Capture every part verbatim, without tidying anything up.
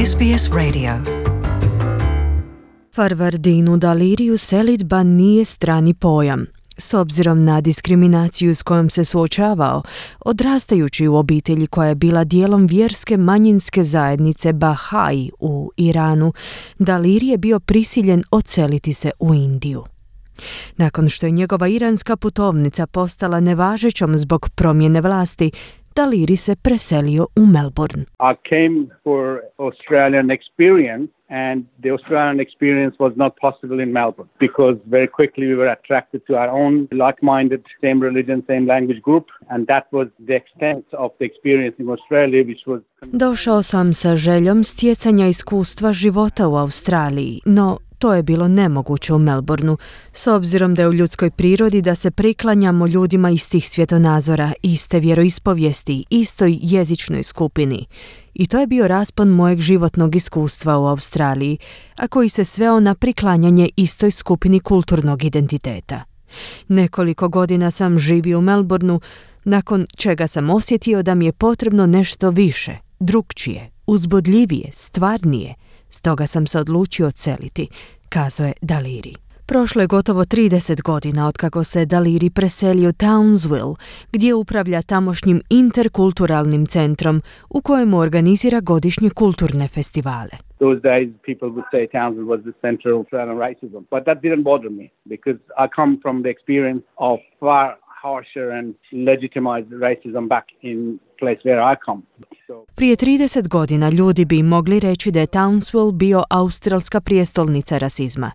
S B S Radio. Farvardinu Daliriju selidba nije strani pojam. S obzirom na diskriminaciju s kojom se suočavao, odrastajući u obitelji koja je bila dijelom vjerske manjinske zajednice Bahai u Iranu, Daliri je bio prisiljen odseliti se u Indiju. Nakon što je njegova iranska putovnica postala nevažećom zbog promjene vlasti, Daliri se preselio u Melbourne. I came for Australian experience and the Australian experience was not possible in Melbourne because very quickly we were attracted to our own like-minded, same religion, same language group, and that was the extent of the experience in Australia, which was... Došao sam sa željom stjecanja iskustva života u Australiji, no to je bilo nemoguće u Melbourneu, s obzirom da je u ljudskoj prirodi da se priklanjamo ljudima istih svjetonazora, iste vjeroispovijesti, istoj jezičnoj skupini. I to je bio raspon mojeg životnog iskustva u Australiji, a koji se sveo na priklanjanje istoj skupini kulturnog identiteta. Nekoliko godina sam živio u Melbourneu, nakon čega sam osjetio da mi je potrebno nešto više, drukčije, uzbudljivije, stvarnije. Stoga sam se odlučio odseliti, kazao je Daliri. Prošlo je gotovo trideset godina otkako se Daliri preselio u Townsville, gdje upravlja tamošnjim interkulturalnim centrom u kojemu organizira godišnje kulturne festivale. Those days people would say Townsville was the center of Australian racism, but that didn't bother me because I come from the experience of far harsher and legitimized racism back in place where I come. So... Prije trideset godina ljudi bi mogli reći da je Townsville bio australska prijestolnica rasizma,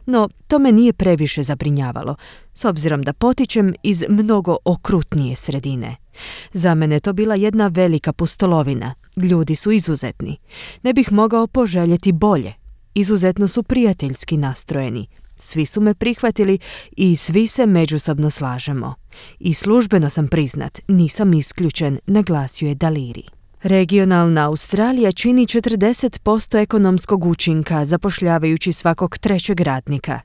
no to me nije previše zabrinjavalo, s obzirom da potičem iz mnogo okrutnije sredine. Za mene to bila jedna velika pustolovina. Ljudi su izuzetni. Ne bih mogao poželjeti bolje. Izuzetno su prijateljski nastrojeni. Svi su me prihvatili i svi se međusobno slažemo. I službeno sam priznat, nisam isključen, naglasio je Daliri. Regionalna Australija čini četrdeset posto ekonomskog učinka, zapošljavajući svakog trećeg radnika.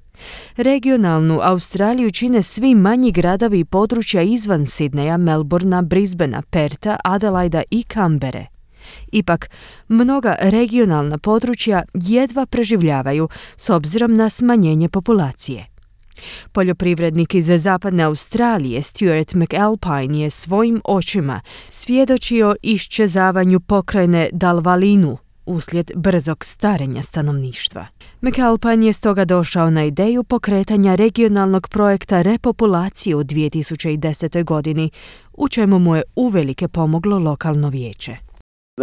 Regionalnu Australiju čine svi manji gradovi i područja izvan Sidneja, Melbournea, Brisbanea, Perta, Adelaida i Canberre. Ipak, mnoga regionalna područja jedva preživljavaju s obzirom na smanjenje populacije. Poljoprivrednik iz zapadne Australije Stuart McAlpine je svojim očima svjedočio iščezavanju pokrajine Dalvalinu uslijed brzog starenja stanovništva. McAlpine je stoga došao na ideju pokretanja regionalnog projekta repopulacije u dvije tisuće desete. godini, u čemu mu je uvelike pomoglo lokalno vijeće.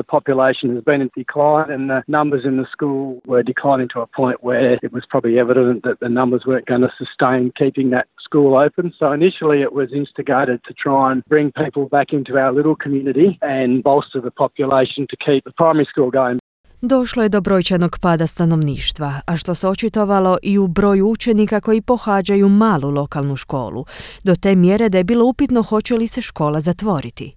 The population has been in decline and the numbers in the school were declining to a point where it was probably evident that the numbers weren't going to sustain keeping that school open. So initially it was instigated to try and bring people back into our little community and bolster the population to keep the primary school going. Došlo je do brojčanog pada stanovništva, a što se očitovalo i u broju učenika koji pohađaju malu lokalnu školu, do te mjere da je bilo upitno hoće li se škola zatvoriti.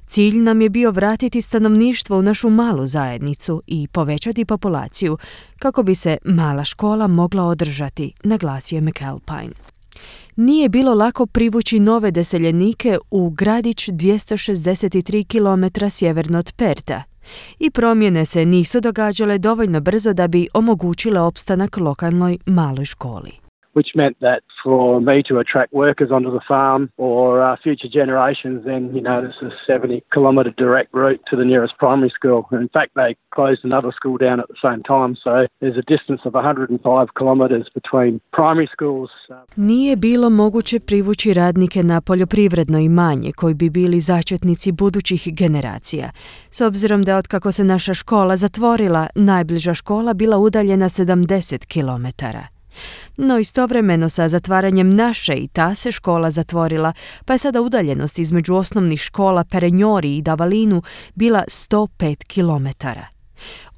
Cilj nam je bio vratiti stanovništvo u našu malu zajednicu i povećati populaciju kako bi se mala škola mogla održati, naglasio je McAlpine. Nije bilo lako privući nove doseljenike u gradić dvjesto šezdeset tri kilometra sjeverno od Perta i promjene se nisu događale dovoljno brzo da bi omogućile opstanak lokalnoj maloj školi. Which meant that for me to attract workers onto the farm or uh, future generations, then, you know, there's a seventy kilometre direct route to the nearest primary school. In fact, they closed another school down at the same time, so there's a distance of one hundred five kilometres between primary schools. Nije bilo moguće privući radnike na poljoprivredno imanje koji bi bili začetnici budućih generacija, s obzirom da otkako se naša škola zatvorila, najbliža škola bila udaljena sedamdeset kilometara. No istovremeno sa zatvaranjem naše i ta se škola zatvorila, pa je sada udaljenost između osnovnih škola Perenjori i Davalinu bila sto pet kilometara.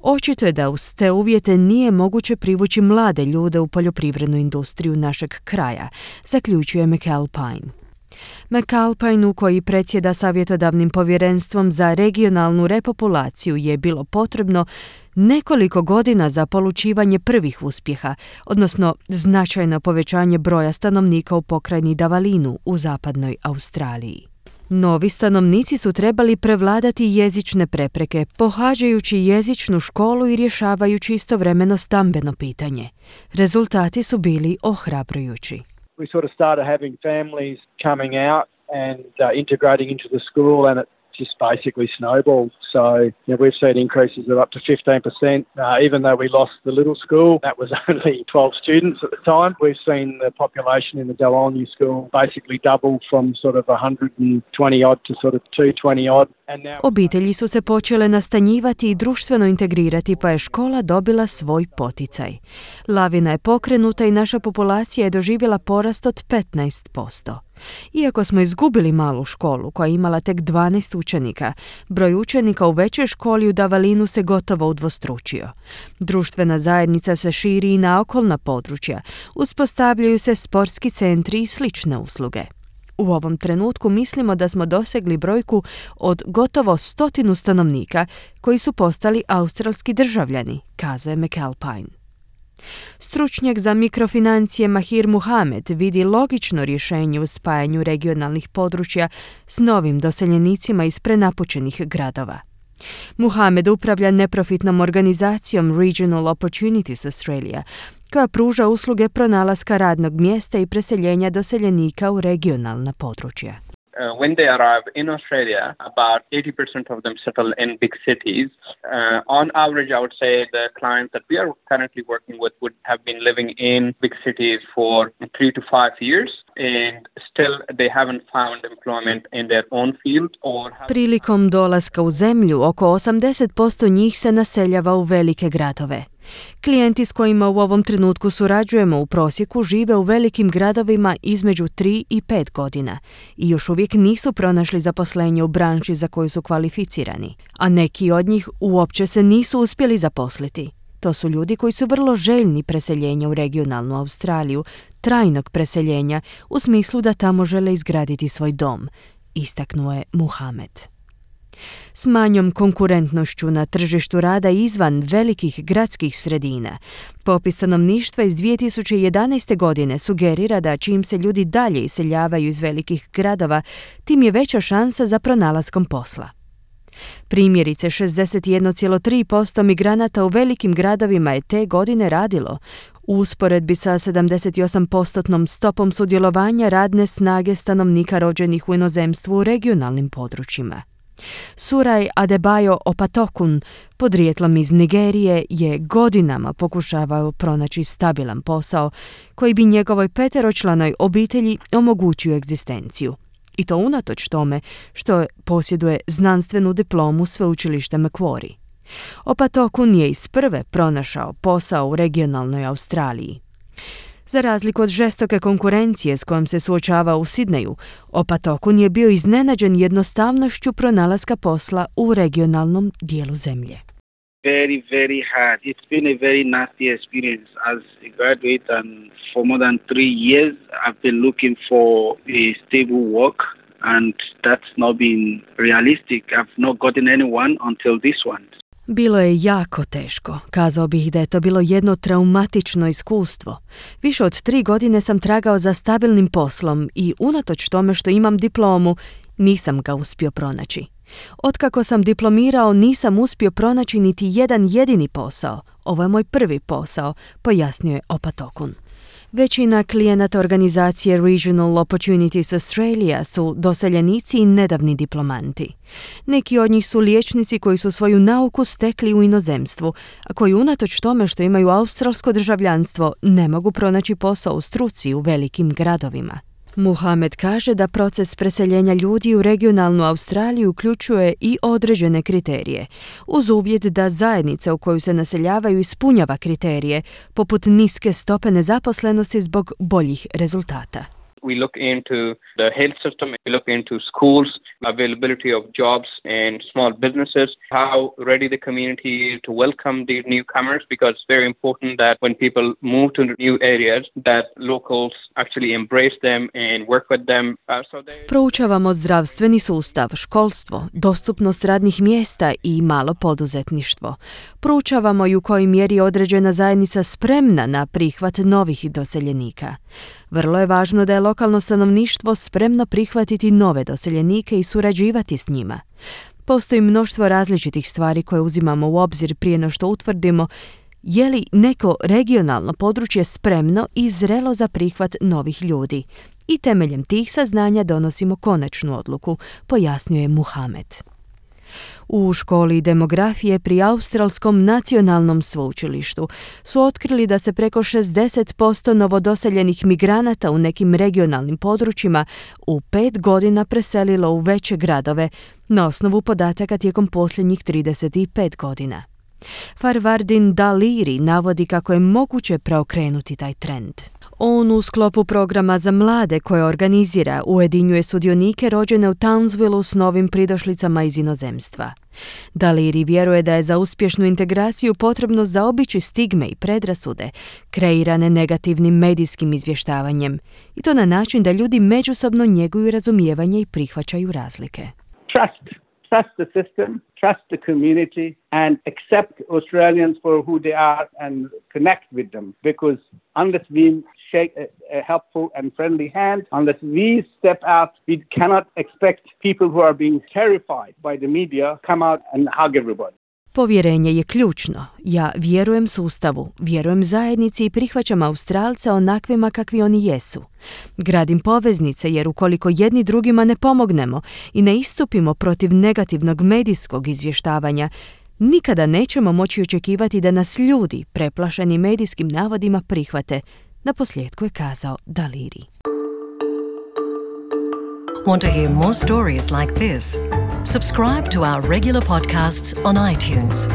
Očito je da uz te uvjete nije moguće privući mlade ljude u poljoprivrednu industriju našeg kraja, zaključuje McAlpine. McAlpineu, koji predsjeda savjetodavnim povjerenstvom za regionalnu repopulaciju, je bilo potrebno nekoliko godina za polučivanje prvih uspjeha, odnosno značajno povećanje broja stanovnika u pokrajini Davalinu u zapadnoj Australiji. Novi stanovnici su trebali prevladati jezične prepreke, pohađajući jezičnu školu i rješavajući istovremeno stambeno pitanje. Rezultati su bili ohrabrujući. We sort of started having families coming out and uh, integrating into the school, and it just basically snowballed. So you know, we've seen increases of up to fifteen percent. Uh, even though we lost the little school, that was only twelve students at the time. We've seen the population in the Delonyu school basically double from sort of one hundred twenty odd to sort of two hundred twenty odd. And now... Obitelji su se počele nastanjivati i društveno integrirati, pa je škola dobila svoj poticaj. Lavina je pokrenuta i naša populacija je doživjela porast od petnaest posto. Iako smo izgubili malu školu koja je imala tek dvanaest učenika, broj učenika u većoj školi u Davalinu se gotovo udvostručio. Društvena zajednica se širi i na okolna područja, uspostavljaju se sportski centri i slične usluge. U ovom trenutku mislimo da smo dosegli brojku od gotovo stotinu stanovnika koji su postali australski državljani, kazuje McAlpine. Stručnjak za mikrofinancije Mahir Muhamed vidi logično rješenje u spajanju regionalnih područja s novim doseljenicima iz prenapučenih gradova. Muhamed upravlja neprofitnom organizacijom Regional Opportunities Australia, koja pruža usluge pronalaska radnog mjesta i preseljenja doseljenika u regionalna područja. Uh, when they arrive in Australia, about eighty percent of them settle in big cities. Uh, on average, I would say the clients that we are currently working with would have been living in big cities for three to five years, and still they haven't found employment in their own field or have... Prilikom dolaska u zemlju, oko osamdeset posto njih se naseljava u velike gradove. Klijenti s kojima u ovom trenutku surađujemo u prosjeku žive u velikim gradovima između tri i pet godina i još uvijek nisu pronašli zaposlenje u branši za koju su kvalificirani, a neki od njih uopće se nisu uspjeli zaposliti. To su ljudi koji su vrlo željni preseljenja u regionalnu Australiju, trajnog preseljenja u smislu da tamo žele izgraditi svoj dom, istaknuo je Muhamed. S manjom konkurentnošću na tržištu rada izvan velikih gradskih sredina, popis stanovništva iz dvije tisuće jedanaeste. godine sugerira da čim se ljudi dalje iseljavaju iz velikih gradova, tim je veća šansa za pronalaskom posla. Primjerice, šezdeset jedan zarez tri posto migranata u velikim gradovima je te godine radilo, u usporedbi sa sedamdeset osam posto stopom sudjelovanja radne snage stanovnika rođenih u inozemstvu u regionalnim područjima. Suraj Adebayo Opatokun, podrijetlom iz Nigerije, je godinama pokušavao pronaći stabilan posao koji bi njegovoj peteročlanoj obitelji omogućio egzistenciju. I to unatoč tome što posjeduje znanstvenu diplomu sveučilišta Macquarie. Opatokun je iz prve pronašao posao u regionalnoj Australiji. Za razliku od žestoke konkurencije s kojom se suočava u Sidneju, Opatokun je bio iznenađen jednostavnošću pronalaska posla u regionalnom dijelu zemlje. Very, very hard. It's been a very nasty experience. As a graduate and for more than three years, I've been looking for a stable work and that's not been realistic. I've not gotten anyone until this one. Bilo je jako teško. Kazao bih da je to bilo jedno traumatično iskustvo. Više od tri godine sam tragao za stabilnim poslom i unatoč tome što imam diplomu, nisam ga uspio pronaći. Otkako sam diplomirao, nisam uspio pronaći niti jedan jedini posao. Ovo je moj prvi posao, pojasnio je Opatokun. Većina klijenata organizacije Regional Opportunities Australia su doseljenici i nedavni diplomanti. Neki od njih su liječnici koji su svoju nauku stekli u inozemstvu, a koji unatoč tome što imaju australsko državljanstvo ne mogu pronaći posao u struci u velikim gradovima. Muhamed kaže da proces preseljenja ljudi u regionalnu Australiju uključuje i određene kriterije, uz uvjet da zajednica u koju se naseljavaju ispunjava kriterije, poput niske stope nezaposlenosti zbog boljih rezultata. We look into the health system, we look into schools, availability of jobs and small businesses, how ready the community is to welcome these newcomers, because it's very important that when people move to new areas, that locals actually embrace them and work with them. Uh, so they... Proučavamo zdravstveni sustav, školstvo, dostupnost radnih mjesta i malo poduzetništvo. Proučavamo i u kojoj mjeri je određena zajednica spremna na prihvat novih doseljenika. Vrlo je važno da je lokalno stanovništvo spremno prihvatiti nove doseljenike i surađivati s njima. Postoji mnoštvo različitih stvari koje uzimamo u obzir prije no što utvrdimo je li neko regionalno područje spremno i zrelo za prihvat novih ljudi. I temeljem tih saznanja donosimo konačnu odluku, pojasnjuje Muhamed. U školi demografije pri Australskom nacionalnom sveučilištu su otkrili da se preko šezdeset posto novodoseljenih migranata u nekim regionalnim područjima u pet godina preselilo u veće gradove na osnovu podataka tijekom posljednjih trideset pet godina. Farvardin Daliri navodi kako je moguće preokrenuti taj trend. On u sklopu programa za mlade koje organizira ujedinjuje sudionike rođene u Townsvillu s novim pridošlicama iz inozemstva. Daliri vjeruje da je za uspješnu integraciju potrebno zaobići stigme i predrasude kreirane negativnim medijskim izvještavanjem i to na način da ljudi međusobno njeguju razumijevanje i prihvaćaju razlike. Trust. Trust the system, trust the community, and accept Australians for who they are and connect with them. Because unless we shake a, a helpful and friendly hand, unless we step out, we cannot expect people who are being terrified by the media come out and hug everybody. Povjerenje je ključno. Ja vjerujem sustavu, vjerujem zajednici i prihvaćam Australce onakvima kakvi oni jesu. Gradim poveznice jer ukoliko jedni drugima ne pomognemo i ne istupimo protiv negativnog medijskog izvještavanja, nikada nećemo moći očekivati da nas ljudi, preplašeni medijskim navodima, prihvate. Naposljetku je kazao Daliri. Want to hear more stories like this? Subscribe to our regular podcasts on iTunes.